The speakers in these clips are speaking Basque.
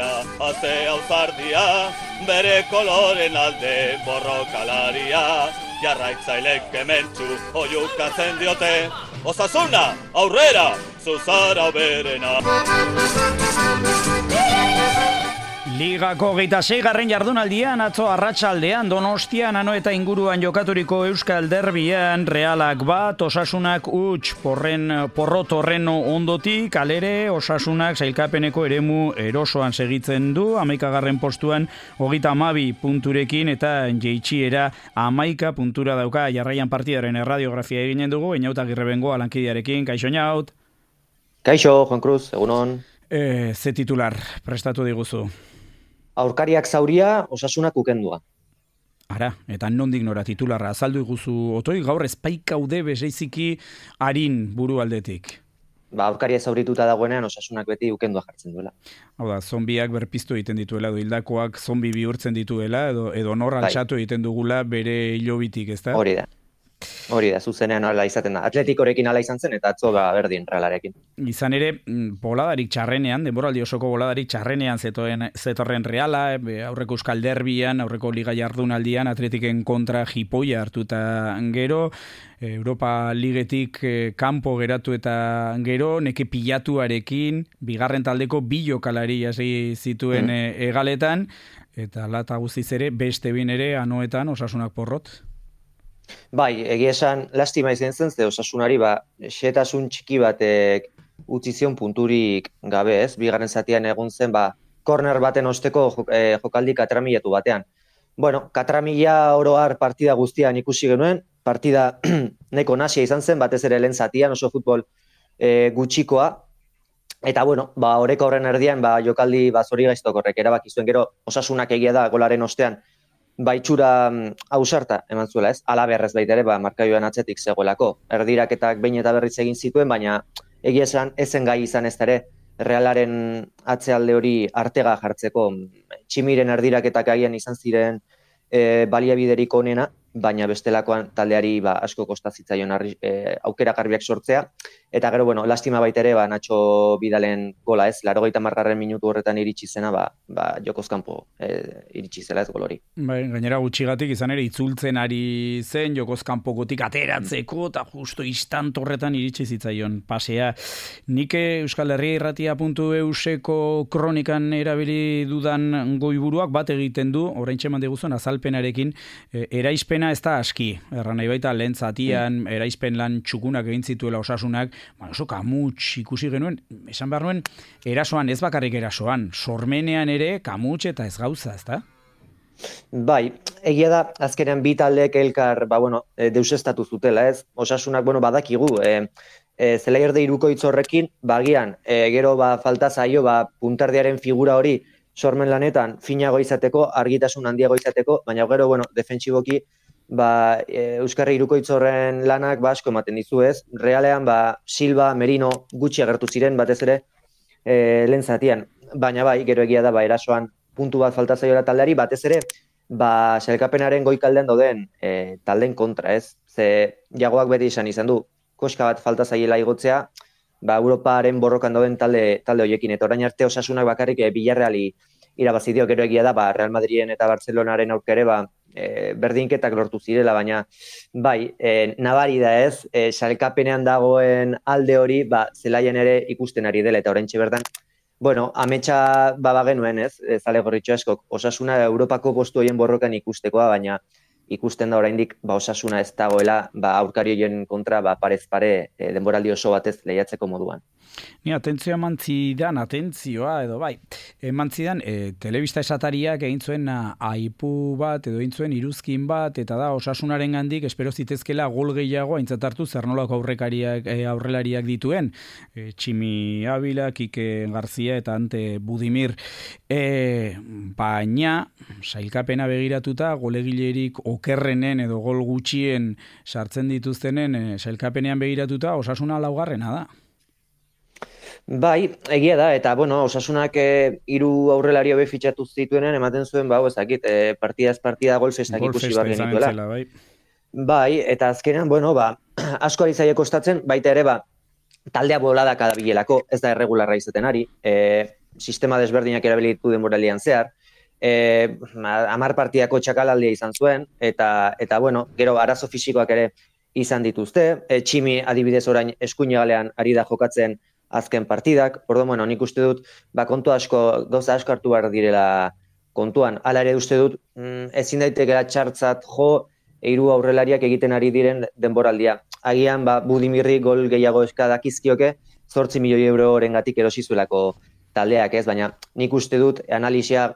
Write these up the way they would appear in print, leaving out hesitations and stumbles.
Aurkaria, atea uzardia, bere koloren alde borrokalaria, jarraitzailek kementsu oiukatzen diote, Osasuna, aurrera, zuzara berena. Ligako 26. jardunaldian atzo arratsaldean Donostian Anoeta inguruan jokaturiko Euskal Derbian Realak bat, Osasunak huts, porrot horren ondotik, alere Osasunak sailkapeneko eremu erosoan segitzen du, 11. postuan 32 punturekin eta jeitsiera 11 puntura dauka. Jarraian partidaren erradiografia eginen dugu, Einaut Agirrebengoa lankidearekin. Kaixo Einaut. Kaixo, Juan Cruz, egunon. Ze titular prestatu diguzu? Aurkariak zauria, Osasunak ukendua. Ara, eta nondik nora titularra azaldu iguzu otoi, gaur espaikaude bezeiziki harin buru aldetik. Aurkaria zaurituta dagoenean Osasunak beti ukendua jartzen duela. Hau da, zombiak berpiztu egiten dituela, edo hildakoak zombi bihurtzen dituela, edo nor altxatu egiten dugula bere hilobitik, ezta? Hori da, zuzenean ala izaten da. Atletikorekin ala izan zen eta atzo berdin Realarekin. Izan ere, boladarik txarrenean, denboraldi osoko boladarik txarrenean zetorren Reala, aurreko Euskal Derbian, aurreko Liga jardunaldian, Atletiken kontra jipoia hartuta gero, Europa Ligetik kanpo geratu eta gero, neke pilatuarekin, bigarren taldeko bi jokalari hasi zituen egaletan, eta lata guztiz ere, beste bin ere, Anoetan Osasunak porrot. Bai, egia esan lastima izan zen, ze Osasunari xetasun txiki batek utzi zion punturik gabe, ez? Bigarren zatian egun zen, korner baten osteko jokaldi katramilatu batean. Bueno, katramila oroar partida guztian ikusi genuen, partida neko nasia izan zen, batez ere lehen zatian, oso futbol gutxikoa, eta bueno, oreka horren erdian, jokaldi zori gaiztokorrek erabaki zuen, gero Osasunak egia da golaren ostean, itxura ausarta eman zuela, ez? Alaberrez baita ere, markaioan atzetik zegoelako. Erdiraketak behin eta berriz egin zituen, baina egia esan ezen gai izan ez ere Realaren atzealde hori artega jartzeko. Tximiren erdiraketak agian izan ziren baliabiderik onena, baina bestelakoan taldeari asko kostazitzaion aukera garbiak sortzea. Eta gero, lastima baita ere, Nacho Bidalen gola, ez? 80. minutu horretan iritsi zena, jokoz kanpo iritsi zela ez gol hori. Gainera gutxigatik izan ere itzultzen ari zen, jokoz kanpokotik ateratzeko, eta justo istant horretan iritsi zitzaion pasea. Nik Euskal Herria Irratia.euseko kronikan erabili dudan goiburuak bat egiten du, oraintxe eman diguzun azalpenarekin, eraizpena ez da aski. Erran nahi baita lehen zatian, eraizpen lan txukunak egin zituela Osasunak, oso kamuts ikusi genuen, esan behar nuen, erasoan, ez bakarrik erasoan, sormenean ere kamuts eta ez gauza, ez da? Bai, egia da, azkenean bi taldeek elkar, deusestatu zutela, ez? Osasunak, badakigu, zelaierde irukoitz horrekin, bagian, gero falta zaio, puntardiaren figura hori sormen lanetan finago izateko, argitasun handiago izateko, baina gero, defentsiboki, Euskarri Irukoitz horren lanak asko ematen dizu, ez? Realean, Silva, Merino gutxi agertu ziren, batez ere lehen zatian. Baina gero egia da, erasoan puntu bat falta zaiola taldeari, batez ere, sailkapenaren goikaldean dauden taldeen kontra, ez? Ze Jagoak beti izan du, koska bat falta zaiela igotzea, Europaren borrokan dauden talde horiekin, eta orain arte Osasunak bakarrik Villarreali irabazi dio, gero egia da, Real Madriden eta Barcelonaren aurkere, berdinketak lortu zirela, baina nabari da ez, sailkapenean dagoen alde hori, zelaian ere ikusten ari dela, eta oraintxe bertan, ametsa bagenuen ez, zale gorritxo askok, Osasuna Europako postu horien borrokan ikustekoa, baina ikusten da oraindik Osasuna ez dagoela aurkari horien kontra parez pare denboraldi oso batez lehiatzeko moduan. Ni atentzioa eman zidan, telebista esatariak egin zuen aipu bat, edo egin zuen iruzkin bat, eta da Osasunaren gandik espero zitezkela gol gehiago aintzat hartu zer nolako aurrelariak dituen, Tximi Abila, Kike Garzia eta Ante Budimir, baina sailkapena begiratuta golegilerik okerrenen edo gol gutxien sartzen dituztenen sailkapenean begiratuta Osasuna laugarrena da. Bai, egia da, eta Osasunak 3 aurrelari hobe fitxatu zituenen, ematen zuen, partidaz partida gol festak ikusi behar genituela. Bai, eta azkenean, asko ari zaie kostatzen, baita ere, taldea boladak adabilelako, ez da erregularra izaten ari, sistema desberdinak erabilitu denboralian zehar, 10 partidako txakalaldia izan zuen, eta bueno, gero arazo fisikoak ere izan dituzte, Tximi adibidez orain eskuinegalean ari da jokatzen azken partidak, orduan, bueno, nik uste dut, gauza asko hartu behar direla kontuan. Hala ere uste dut, ezin daitekela txartzat jo, 3 aurrelariak egiten ari diren denboraldia. Agian, Budimirri gol gehiago eskadakizkioke, 8 milioi eurorengatik erosi zuelako taldeak, ez? Baina nik uste dut analisia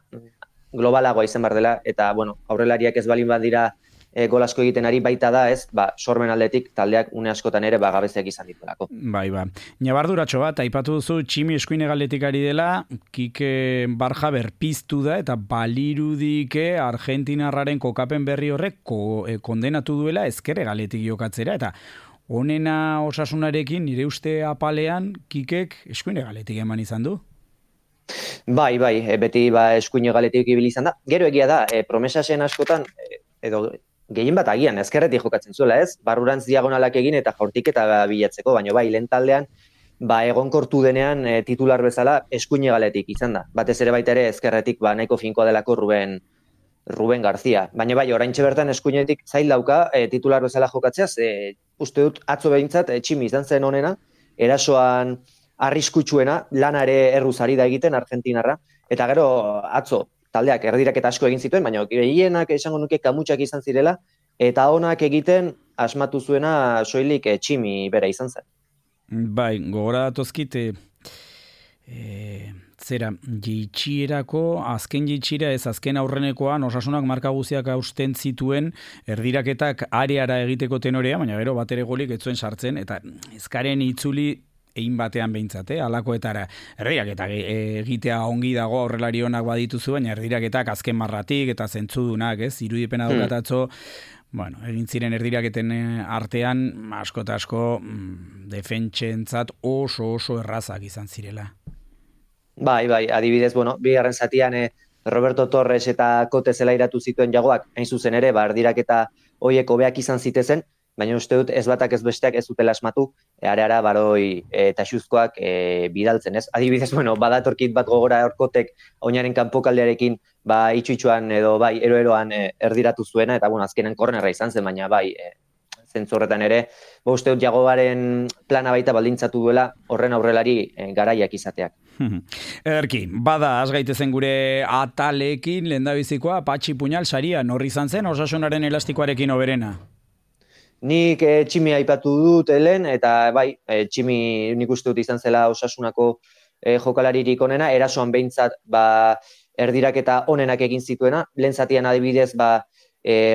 globalagoa izan behar dela, eta, bueno, aurrelariak ez balin badira gol asko egiten ari baita da, ez? Sormen aldetik taldeak une askotan ere gabeziak izan dituelako. Bai. Nabarduratxo bat, aipatu duzu Tximi eskuinegaletik ari dela, Kike Barja berpiztu da, eta balirudike Argentinarraren kokapen berri horrek kondenatu duela ezker hegaletik jokatzera, eta honena Osasunarekin nire uste apalean Kikek eskuinegaletik eman izan du? Bai, beti eskuinegaletik ibili izan da. Gero egia da, promesasen askotan, edo gehien bat agian, ezkerretik jokatzen zuela, ez? Barrurantz diagonalak egin eta jaurtiketa bilatzeko, baina bai, lehen taldean, egonkortu denean titular bezala eskuinegaletik izan da. Batez ere baita ere ezkerretik nahiko finkoa delako Ruben García. Baina bai, oraintxe bertan eskuinetik zail dauka titular bezala jokatzeaz, uste dut atzo behintzat Tximi izan zen honena, erasoan arriskutsuena, lana ere erruz ari da egiten Argentinarra, eta gero atzo taldeak erdiraketa asko egin zituen, baina gehienak esango nuke kamutsak izan zirela, eta onak egiten asmatu zuena soilik Tximi bera izan zen. Bai, gogora datozkit, azken jitxira ez azken aurrenekoan Osasunak marka guziak hausten zituen erdiraketak areara egiteko tenorea, baina gero bat ere golik ez zuen sartzen, eta ezkaren itzuli egin batean behintzat, alakoetara erdiraketak egitea ongi dago aurrelari honak badituzu, baina erdiraketak azken marratik eta zentzudunak, irudipena daukatatzo, bueno, egin ziren erdiraketen artean asko eta asko defentsentzat oso errazak izan zirela. Bai, adibidez, bueno, bigarren zatian Roberto Torres eta Kote zelairatu zituen jagoak, hain zuzen ere, erdiraketa hoiek hobeak izan zitezen, baina uste dut ez batak ez besteak ez dutela asmatu, areara Baroi eta Xuzkoak bidaltzen, ez? Adibidez, bueno, badatorkit bat gogora Kotek oinaren kanpokaldearekin itxuitxuan edo eroeroan erdiratu zuena, eta bueno, azkenen kornerra izan zen, baina zentzorretan ere, uste dut jagoaren plana baita baldintzatu duela horren aurrelari garaiak izateak. Ederki, bada, az gaitezen gure atalekin, lehendabizikoa, Patxi Puñal saria, norri izan zen Osasunaren elastikoarekin oberena? Nik Tximi aipatu dut lehen, eta Tximi nik uste dut izan zela Osasunako jokalaririk onena, erasoan behintzat erdiraketa onenak egin zituena, lehen zatian adibidez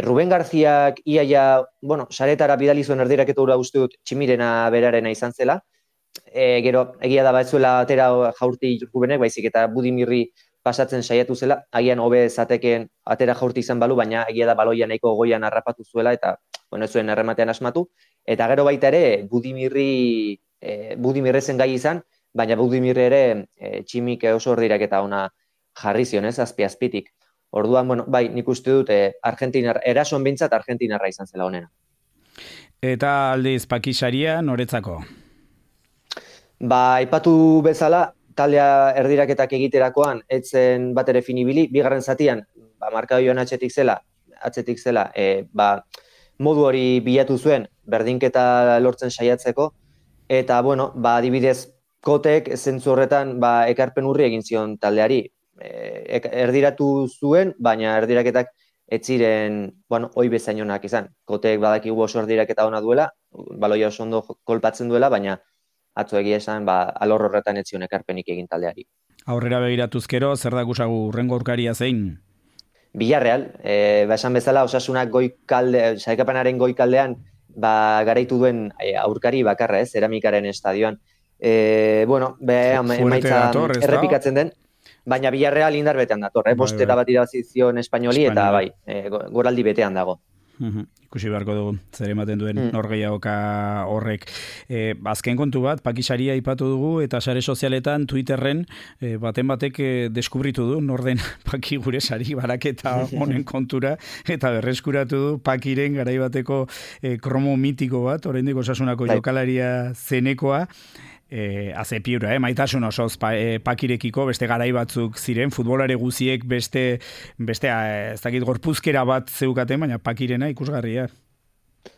Ruben Garziak iaia, saretara bidali zuen erdiraketa hura uste dut Tximirena berarena izan zela, gero egia da batzuela atera jaurti Rubenek, baizik eta Budimirri pasatzen saiatu zela, agian hobe zateken atera jaurti izan balu, baina egia da baloia nahiko goian harrapatu zuela, eta ez zuen errematean asmatu, eta gero baita ere Budimirrezen gai izan, baina Budimirre ere Tximik oso erdiraketa ona jarri zion, ez, azpitik. Orduan, nik uste dut erasoan behintzat Argentinarra izan zela honena. Eta aldiz Pakisaria noretzako? Aipatu bezala, taldea erdiraketak egiterakoan, etzen bat ere finibili, bigarren zatian, markadoioan atzetik zela, modu hori bilatu zuen, berdinketa lortzen saiatzeko, eta, adibidez, Kotek zentzu horretan, ekarpen urri egin zion taldeari. Erdiratu zuen, baina erdiraketak ez ziren, hoi bezain onak izan. Kotek badakigu oso erdiraketa ona duela, baloia oso ondo kolpatzen duela, baina atzo egia esan, alor horretan ez zion ekarpenik egin taldeari. Aurrera begiratuzkero, zer da gusagu urrengo aurkaria zein? Villarreal, esan bezala Osasunak saikapenaren goikaldean garaitu duen aurkari bakarra, Zeramikaren estadioan. Emaitza errepikatzen den, baina Villarreal indar betean dator, bostera bat irabazizion Espainoli, eta goraldi betean dago. Ikusi beharko dugu, zer ematen duen norgeiagoka horrek. Azken kontu bat, Pakisaria aipatu dugu, eta sare sozialetan, Twitterren, baten batek deskubritu du, norden Paki gure sari baraketa honen kontura, eta berreskuratu du Pakiren garaibateko kromo mitiko bat, oraindik Osasunako jokalaria zenekoa, Haze piura, maitasun osoz pakirekiko, beste garai batzuk ziren, futbolare guziek beste ez dakit gorpuzkera bat zeukaten, baina pakirena ikusgarria.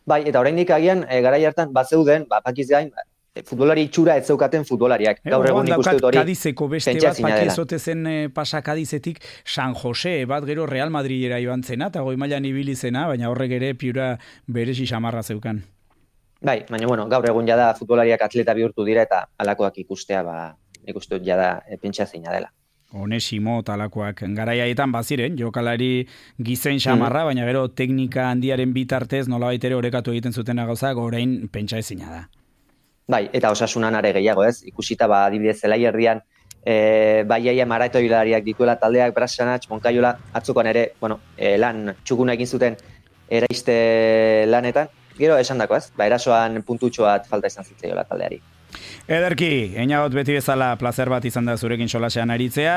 Bai, eta oraindik agian, garai hartan, bazeuden, pakiz gain, futbolari itxura ez zeukaten futbolariak. Gaur egun ikuste dut hori. Kadizeko beste bat, pakizote zen pasa Kadizetik San Jose, bat gero Real Madridera joan zena, eta goi mailan ibili zena, baina horrek ere piura berezi xamarra zeukan. Bai, baina bueno, gaur egun jada futbolariak atleta bihurtu dira eta alakoak ikustea, ikuste dut jada pentsazina dela. Onesimo talakoak garaiaetan baziren, jokalari gizen xamarra, baina gero teknika handiaren bitartez nolabait ere orekatu egiten zutena gauzak, orain pentsa ezina da. Bai, eta Osasunan are gehiago ez, ikusita adibidez Zelaierdian baiaia maratoilariak dituela taldeak, Brasanatx, Monkaiola, atzukoan ere, lan txukuna egin zuten eraiste lanetan, gero esan dako ez, erasoan puntutxoat falta izan zitzaiola taldeari. Ederki, einagot beti bezala plazer bat izan da zurekin solasean aritzea.